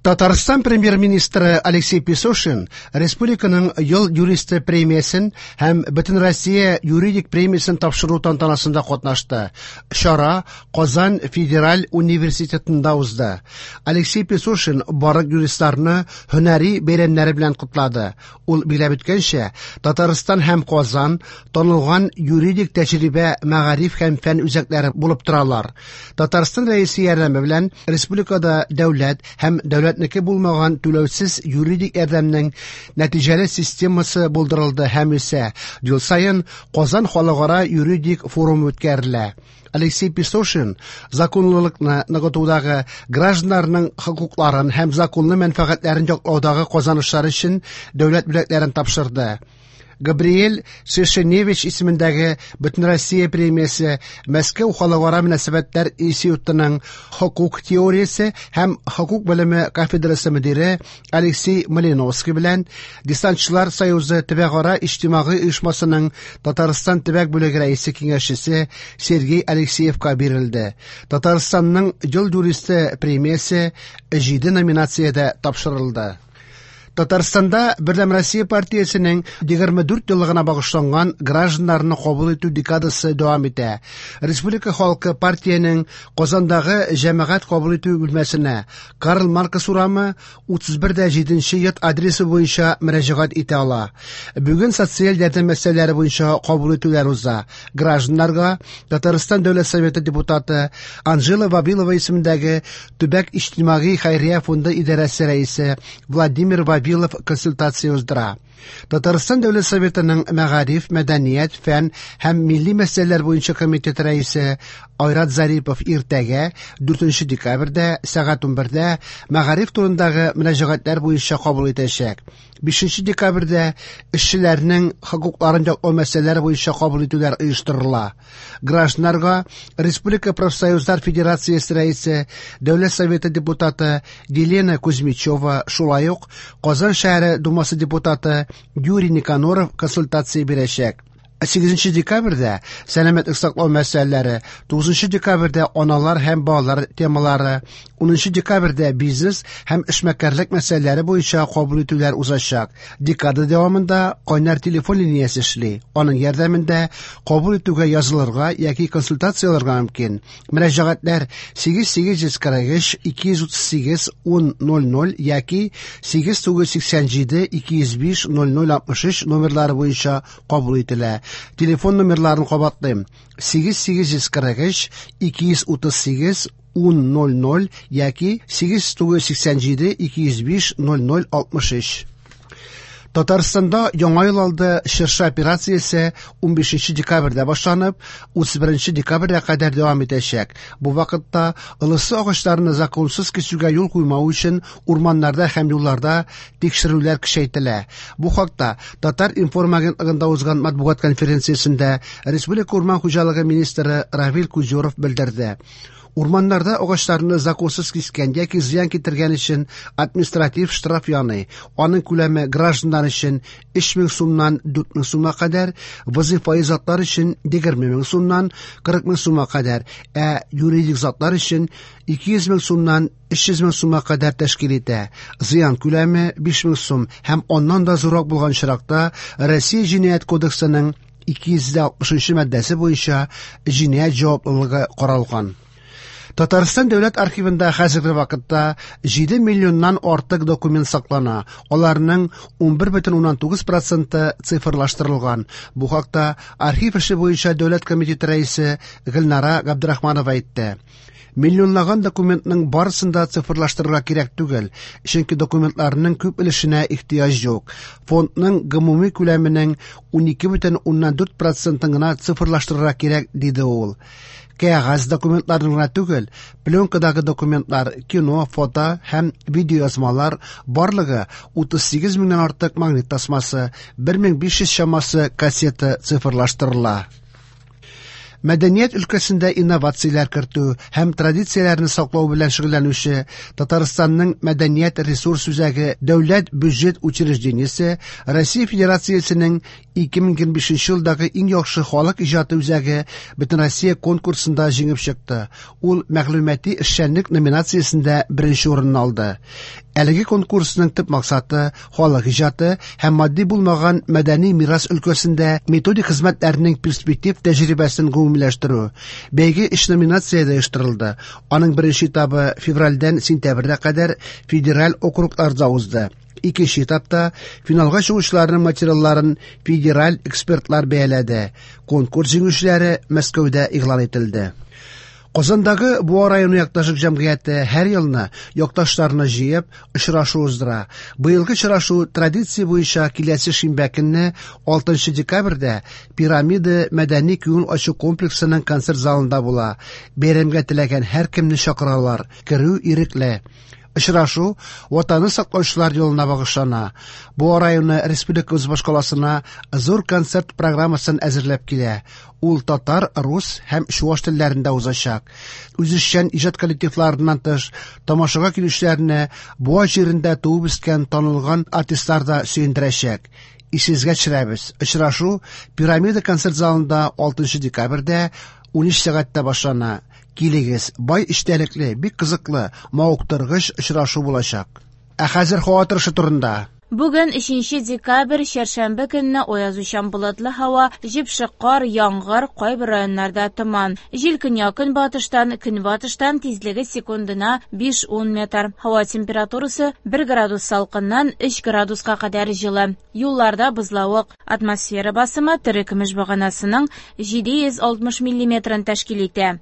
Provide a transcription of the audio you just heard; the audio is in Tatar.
Татарстан премьер-министры Алексей Песошин республиканың ел юристы премиясен һәм Бөтенроссия юридик премиясен тапшыру тантанасында катнашты. Чара Казан федераль университетында узды. Алексей Песошин барлык юристларны һөнәри бәйрәмнәре белән котлады. Ул билгеләп үткәнчә, Татарстан һәм Казан танылган юридик тәҗрибә, мәгариф һәм фән үзәкләре булып торалар. Татарстан Рәисе ярдәме белән республикада дәүләт һәм дәүләтнеке булмаган түләүсез юридик ярдәмнең нәтиҗәле системасы булдырылды һәм үсә. Ел саен Казан халыкара юридик форумы үткәрелә. Алексей Песошин законлылыкны ныгытудагы, гражданнарның хокукларын һәм законлы мәнфәгатьләрен яклаудагы казанышлар өчен дәүләт бүләкләрен тапшырды. Габриэль Шершеневич исемендәге Бөтенроссия премиясе Мәскәү халыкара мөнәсәбәтләр институтының хокук теориясе һәм хокук белеме кафедрасы мөдире Алексей Малиновский белән Десантчылар союзы төбәкара иҗтимагый оешмасының Татарстан төбәк бүлеге рәисе киңәшчесе Сергей Алексеевка бирелде. Татарстанның ел юристы премиясе 7 номинациядә тапшырылды. Татарстанда Бердәм Россия партиясенең 24 еллыгына багышланган гражданнарны кабул итү декадасы дәвам итә. Республика халкы партиянең Казандагы җәмәгать кабул итү бүлмәсенә Карл Маркс урамы 31-7 йорт адресы буенча мөрәҗәгать итә ала. Бүген социаль ярдәм мәсьәләләре буенча кабул итүләр уза. Гражданнарга Татарстан Дәүләт Советы депутаты Анжела Вавилова исемендәге Төбәк иҗтимагый хәйрия фонды идарәсе рәисе Владимир Вавилов консультация уздыра. Татарстан Дәүләт Советының мәгариф, мәдәният, фән һәм милли мәсьәләләр буенча комитет рәисе Айрат Зарипов иртәгә 4 декабрьдә сәгать 11-дә мәгариф турындагы мөрәҗәгатьләр буенча кабул итәчәк. 5 декабрьдә эшчеләрнең хокукларын яклау мәсьәләләре буенча кабул итүләр оештырыла. Гражданнарга Республика профсоюзлар федерациясе рәисе, Дәүләт Советы депутаты Елена Кузьмичева, шулай ук Казан шәһәре Думасы депутаты Юрий Никаноров консультация бирәчәк. 8 декабрьдә сәламәтлек саклау мәсьәләләре, 9 декабрьдә аналар һәм балалар темалары, 10 декабрьдә бизнес һәм эшмәкәрлек мәсьәләләре буенча кабул итүләр узачак. Декада дәвамында кайнар телефон линиясе эшли. Аның ярдәмендә кабул итүгә язылырга яки консультация алырга мөмкин. Мөрәҗәгатьләр 8843 238 1000 яки 8987 205 0063 номерлары буенча кабул ителә. Телефон номерларын кабатлыйм. 8843 238 1000 яки 8987 205 0063. Татарстанда Яңа ел алды чыршы операциясе 15 декабрьдә башланып, 31 декабрьгә кадәр дәвам итәчәк. Бу вакытта ылысы агачларны законсыз кисүгә юл куймау өчен урманнарда һәм юлларда тикшерүләр көчәйтелә. Бу хакта Татар-информ агентлыгында узган матбугат конференциясендә Республика урман хуҗалыгы министры Равил Кузюров белдерде. Урманнарда агачларны законсыз кискән яки зыян китергән өчен административ штраф яный. Аның күләме гражданнар өчен 3000 сумнан 4000 сумга кадәр, вазифаи затлар өчен 20000 сумнан 40000 сумга кадәр, ә юридик затлар өчен 200000 сумнан 300000 сумга кадәр тәшкил итә. Зыян күләме 5000 сум һәм аннан да зуррак булган очракта Россия Җинаять кодексының 260 маддәсе буенча җинаять җаваплылыгы каралган. Татарстан дәүләт архивында хәзерге вакытта 7 миллионнан артык документ саклана. Аларның 11,9% цифрлаштырылган. Бу хакта архив эше буенча дәүләт комитеты рәисе Гөлнара Габдрахманова әйтте. Миллионлаган документның барысын да цифрлаштырырга кирәк түгел, чөнки документларның күп өлешенә ихтыяҗ юк. Фондның гомуми күләменең 12,4% гына цифрлаштырырга кирәк, диде ул. Кәгазь документларны гына түгел, пленкадагы документлар, кино, фото һәм видеоязмалар барлыгы 38 меңнән артык магнит тасмасы, 1500 чамасы кассета цифрлаштырыла. Мәдәният өлкәсендә инновацияләр кертү һәм традицияләрне саклау белән шөгыльләнүче Татарстанның мәдәният ресурс үзәге дәүләт бюджет учреждениесе Россия Федерациясенең 2025 елдагы иң яхшы халык иҗаты үзәге Бөтенроссия конкурсында җиңеп чыкты. Ул мәгълүмати эшчәнлек номинациясендә беренче урынны алды. Әлеге конкурсның төп максаты халык иҗаты һәм матди булмаган мәдәни мирас өлкәсендә методик хезмәтләрнең перспектив тәҗрибәсен гомумиләштерү. Бәйге өч номинациядә оештырылды. Аның беренче этабы февральдән сентябрьгә кадәр федераль округларда узды. Икенче этапта финалга чыгучыларның материалларын федераль экспертлар бәяләде. Конкурс җиңүчеләре Мәскәүдә игълан ителде. Казандагы Буа районы якташлык җәмгыяте һәр елны якташларны җыеп, очрашу уздыра. Быелгы очрашу традиция буенча киләсе шимбә көнне 6 декабрьдә Пирамида мәдәни күңел ачу комплексының концерт залында була. Бәйрәмгә теләгән һәркемне чакыралар. Керү ирекле. Очрашу Ватанны саклаучылар елына багышлана. Буа районы республикабыз башкаласына зур концерт программасын әзерләп килә. Ул татар, рус һәм чуаш телләрендә узачак. Үзешчән иҗат коллективларыннан тыш, тамашага килүчеләрне Буа җирендә туып үскән танылган артистлар да сөендерәчәк. Исегезгә төшерәбез. Очрашу Пирамида концерт залында 6 декабрьдә 13 сәгатьтә башлана. Килегез, бай эчтәлекле, бик кызыклы, мавыктыргыч очрашу булачак. Ә хәзер һава торышы турында. Бүген 3 декабрь, чәршәмбе көнне аязучан болытлы һава, җепшек кар, яңгыр, кайбер районнарда томан. Җил көньяк-көнбатыштан, көнбатыштан тизлеге секундына 5-10 метр. Һава температурасы 1 градус салкыннан 3 градуска кадәр җылы. Юлларда бозлавык. Атмосфера басымы терекөмеш баганасының 760 миллиметрын тәшкил итә.